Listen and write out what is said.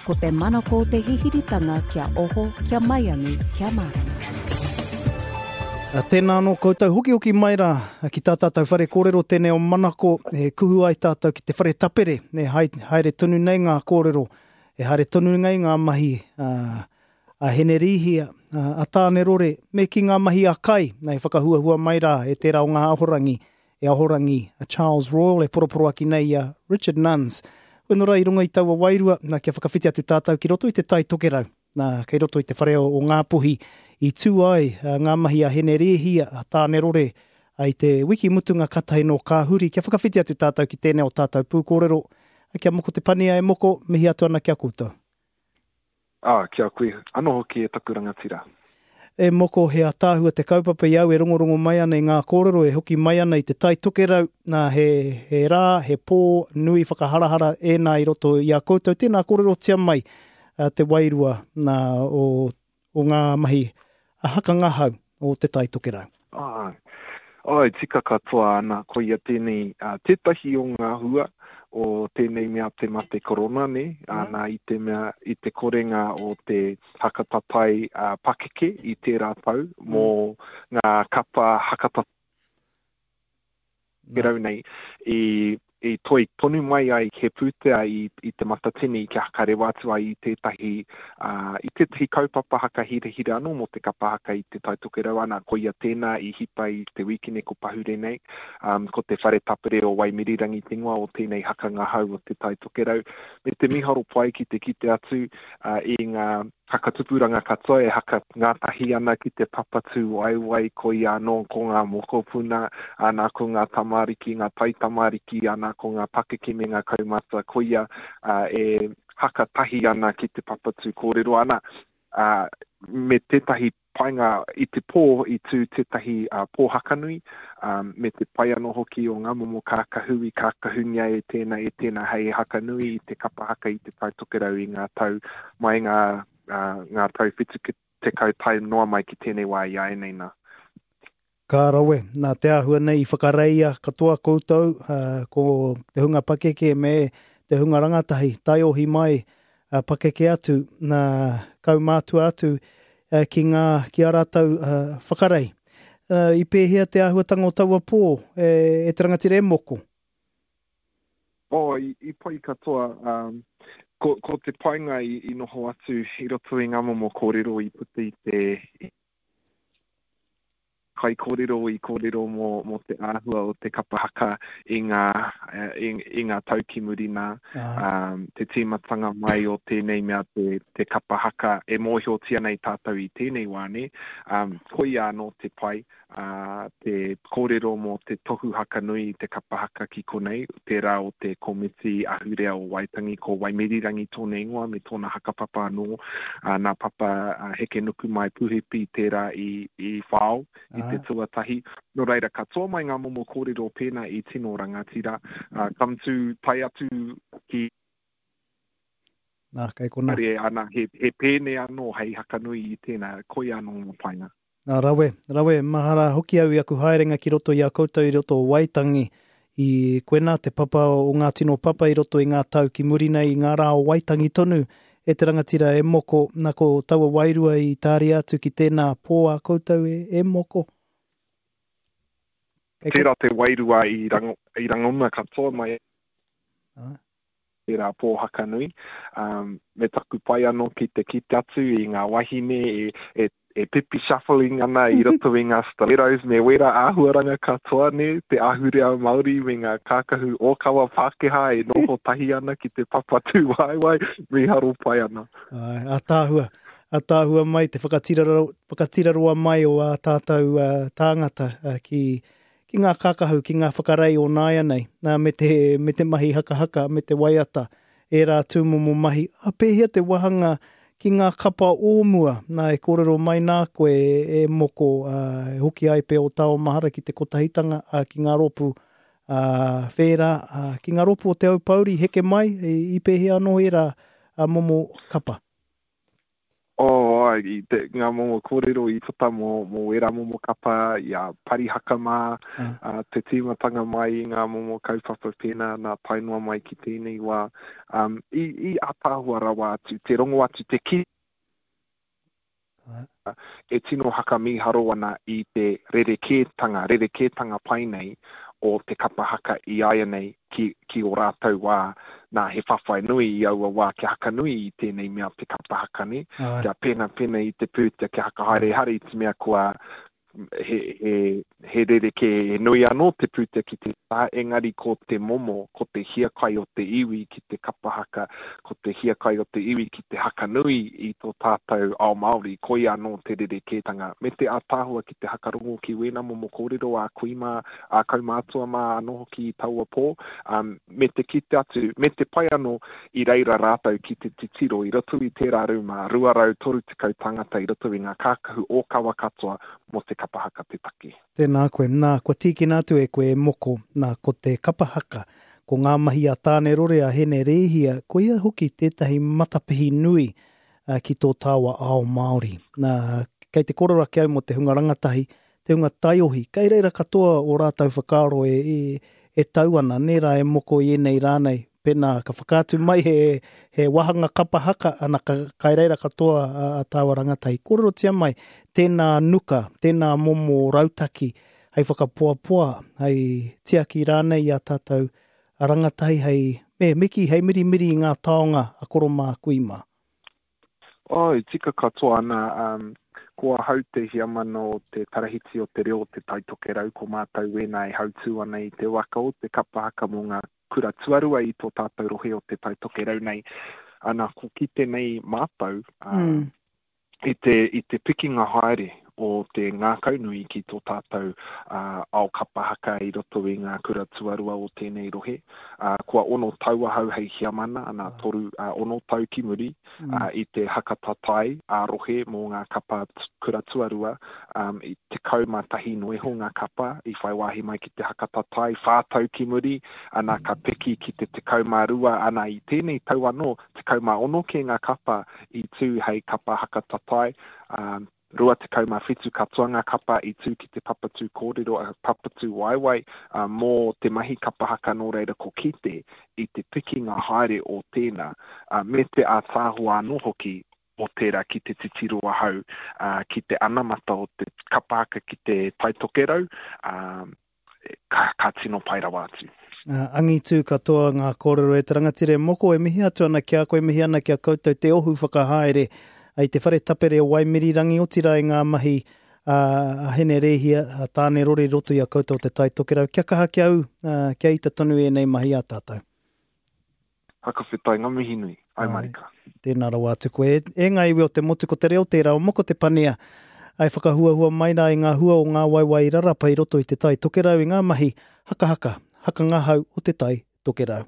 Ko te manako o te hihiritanga kia oho, kia maiangi, kia mārama. Tēnā anō koutou, hokihoki mai rā ki tā tātou whare kōrero tēnei o Manako, e kuhu ai tātou ki te whare tapere, e haere tonu nei ngā kōrero, e haere tonu nei ngā mahi a Henerīhia, a Tānerore, me ki ngā mahi a Kai, e whakahuahua mai rā e tērā o ngā ahorangi e Ahorangi a Charles Royal e poroporoaki nei i a Richard Nunns. Hoi nō rā i runga i taua wairua, nā, kia whakawhiti atu tātou ki roto i te Tai Tokerau, nā, kei roto i te whare o Ngāpuhi i tū ai ngā mahi a Hene Rēhia, a Tānerore, i te wiki mutunga katahi nō ka huri, kia whakawhiti atu tātou ki tēnei o tātou pūkōrero, kia moko te pania e moko, mihi atu ana ki a koutou. Ā, ki a koe anō hoki e taku rangatira. E moko, he ataahua te kaupapa i au e rongorongo mai ana i ngā kōrero e hoki mai ana i te Tai Tokerau, nā, he, he rā, he pō nui whakaharahara ēnā i roto i a koutou. Tēnā kōrerotia mai te wairua nā, o, o ngā mahi haka ngahau o te Tai Tokerau. Āe. Āe, tika katoa ana, koia tēnei, tētahi o ngā hua o tēnei mea te mate korona, nē, ana i te mea, i te korenga o te haka tatai pakeke i tērā tau mō ngā kapa haka tatai rau nei i i toi tonu mai ai he pūtea i, i Te Matatini kia hakarewa atu ai i tētahi, uh, i tētahi kaupapa hakahirahira anō mō te kapa haka i Te Tai Tokerau ana, koia tēnā i hipa i te wīkene ko pahure nei, um, ko te Whare Tapere o Waimirirangi te ingoa o tēnei haka ngahau o Te Tai Tokerau, me te miharo pai ki te kite atu uh, i ngā Whakatupuranga katoa e haka ngātahi ana ki te papa tūwaewae, koia anō ko ngā mokopuna, ana ko ngā tamariki, ngā taitamariki, ana ko ngā pakeke me ngā kaumātua, koia e haka tahi ana ki te papa tū kōrero ana, me tētahi painga i te pō i tū tētahi pō hakanui, me te pai anō hoki o ngā momo kākahu i kākahungia e tēnā, e tēnā hei hakanui i te kapa haka i Te Tai Tokerau i ngā tau mai ngā, ngā tau 70 tae noa mai ki tēnei wā i āianei nā. Ka rawe, nā te āhua nei i whakareia katoa koutou, ko te hunga pakeke me te hunga rangatahi, taiohi mai, pakeke atu, nā, kaumātua atu ki ngā, ki ā rātou whakarei. I pēhea te āhuatanga o taua pō, e te rangatira e moko? Oh, i, i pai katoa. Um, ko, ko te painga i, i noho atu i roto i ngā momo kōrero i puta i te, i kaikōrero i kōrero mō, mō te āhua o te kapa haka i ngā, i, i ngā tau ki muri nā. Um, te tīmatanga mai o tēnei mea te, te kapa haka e mōhiotia nei tātou i tēnei wā, nē. Um, koia anō te pai, ā, te kōrero mō te tohu haka nui i te kapa haka ki konei, tērā o te Komiti Ahurea o Waitangi, ko Waimirirangi tōna ingoa me tōna hakapapa anō, ā, nā Papa Hekenukumai Puhipi tērā i, i whao i te tuatahi. Nō reira, katoa mai ngā momo kōrero pēnā i tino rangatira, ā, ka mutu tae atu ki. Nā, kei konā. Ana, he, he pēne anō hei hakanui i tēnā, koia anō ngā painga. Nā, rawe, rawe, mahara hoki au i aku haerenga ki roto i a koutou i roto o Waitangi, i koinā te papa o ngā tino papa i roto i ngā tau ki muri nei i ngā rā o Waitangi tonu, e te rangatira e moko, nā ko taua wairua i tāria atu ki tēnā pō a koutou e, e moko. Kei ko. Tērā te wairua i rango, i rangona katoa mai. Ah. Tērā pō haka nui. Um, me taku pai anō ki te kite atu i ngā wahine e, e, e pipi shuffling ana i roto i ngā stilettos me wērā āhuaranga katoa, nē, te ahurea Māori me ngā kākahu ōkawa Pākehā e noho tahi ana ki te papa tūwaewae, mīharo pai ana. Āe, ātaahua. Ātaahua mai te whakatiraro, whakatiraroa mai o ā tātou uh, tāngata uh, ki, ki ngā kākahu, ki ngā whakarei o nāianei, nā, me te, me te mahi hakahaka, me te waiata, ērā tūmomo mahi. A pēhea te wahanga ki ngā kapa o mua, nā, e kōrero mai nā koe e, e Moko, ā, e hoki ai pea o Tao Mahara ki te kotahitanga, ā, ki ngā rōpū, ā, whērā, ā, ki ngā rōpū o Te Aupōuri heke mai, i, i pēhea anō ērā, ā, momo kapa? Oh, Oh, i te, ngā momo kōrero i puta mō, mō ērā momo kapa, i a Parihaka mā, uh, te tīmatanga mai i ngā momo kaupapa pēnā nā tae noa mai ki tēnei wā. Um, i, i ātaahua rawa atu, te rongo atu, te ki e tino hakamīharo ana i te rerekētanga, rerekētanga pai nei o te kapa haka i āianei ki, ki ō rātou wā. Nā, he whawhai nui i aua wā kia hakanui i tēnei mea te kapa haka, nē? Kia penapena i te pūtea, kia hakahaere, ehara i te mea kua, he, he, he rerekē, he nui anō te pūtea ki te taha, engari ko te momo, ko te hiakai o te iwi ki te kapa haka, ko te hiakai o te iwi ki te haka nui i tō tātou ao Māori, koia anō te rerekētanga. Me te ātaahua ki te hakarongo ki wēnā momo kōrero a kui mā, a kaumātua mā anō hoki i taua pō, um, me te kite atu, me te pai anō i reira rātou ki te titiro i roto i tērā rūma, 230 tāngata i roto i ngā kākahu ōkawa katoa mō te kapa haka te take. Tēnā koe. Nā, kua tīkina atu e koe e Moko, nā, ko te kapa haka, ko ngā mahi a Tānerore, a Hene Rēhia, koia hoki tētahi matapihi nui ki tō tāua ao Māori. Nā, kei te kōrero ake au mō te hunga rangatahi, te hunga taiohi, kei reira katoa ō rātou whakaaro e, e, e tau ana, nē rā e moko i ēnei rā nei, pēnā ka whakaatu mai he, he wāhanga kapa haka, ana ka, kai reira katoa a, a tāua rangatahi. Kōrerotia mai, tēnā nuka, tēnā momo rautaki hei whakapoapoa, hei tiaki rānei i a tātou rangatahi, hei, me, me kī, hei mirimiri i ngā taonga a koro mā, kui mā. Oh, e tika katoa ana, um, ko ahau te hiamana o te Tarahiti o te Reo o Te Tai Tokerau, ko mātou wēnā e hautū ana i te waka o te kapa haka mō ngā kura tuarua i tō tātou rohe o Te Tai Tokerau nei. Ana, ko kite nei mātou, uh, mm. i te, i te pikinga haere o te ngākaunui ki tō tātou uh, ao kapa haka i roto i ngā kura tuarua o tēnei rohe. Uh, kua ono tau ahau hei hiamana, ana toru, uh, ono tau ki muri, mm. uh, i te haka tatai a rohe mō ngā kapa kura tuarua, um, i 11 noa iho ngā kapa i whai wāhi mai ki te haka tatai, whā tau ki muri, ana ka piki ki te 12, ana i tēnei tau anō, 16 kē ngā kapa i tū hei kapa haka tatai, um, 27 katoa ngā kapa i tū ki te papatū kōrero, papatū waewae mō te mahi kapa haka nō reira ko kite i te pikinga haere o tēnā, me te ātaahua anō hoki o tērā ki te titiro ahau ki te anamata o te kapa haka ki te Tai Tokerau, ka, ka tino pai rawa atu. Angitū katoa ngā kōrero e te rangatira e Moko e mihi atu ana ki a koe, mihi ana ki a koutou te ohu whakahaere i te whare tapere o Waimirirangi, otirā i ngā mahi a Hene Rēhia, a Tāne Rore i roto i a koutou o Te Tai Tokerau. Kia kaha kia ū, kia ita tonu ēnei mahi a tātou. Whakawhetai nga mihi nui. Ai marika. Tēnā rawa atu koe. E ngā iwi o te motu, ko te reo tērā o Moko Te Pania, ai whakahuahua mai rā i ngā hua o ngā waewae i rarapa i roto i Te Tai Tokerau i ngā mahi hakahaka, hakangahau o Te Tai Tokerau.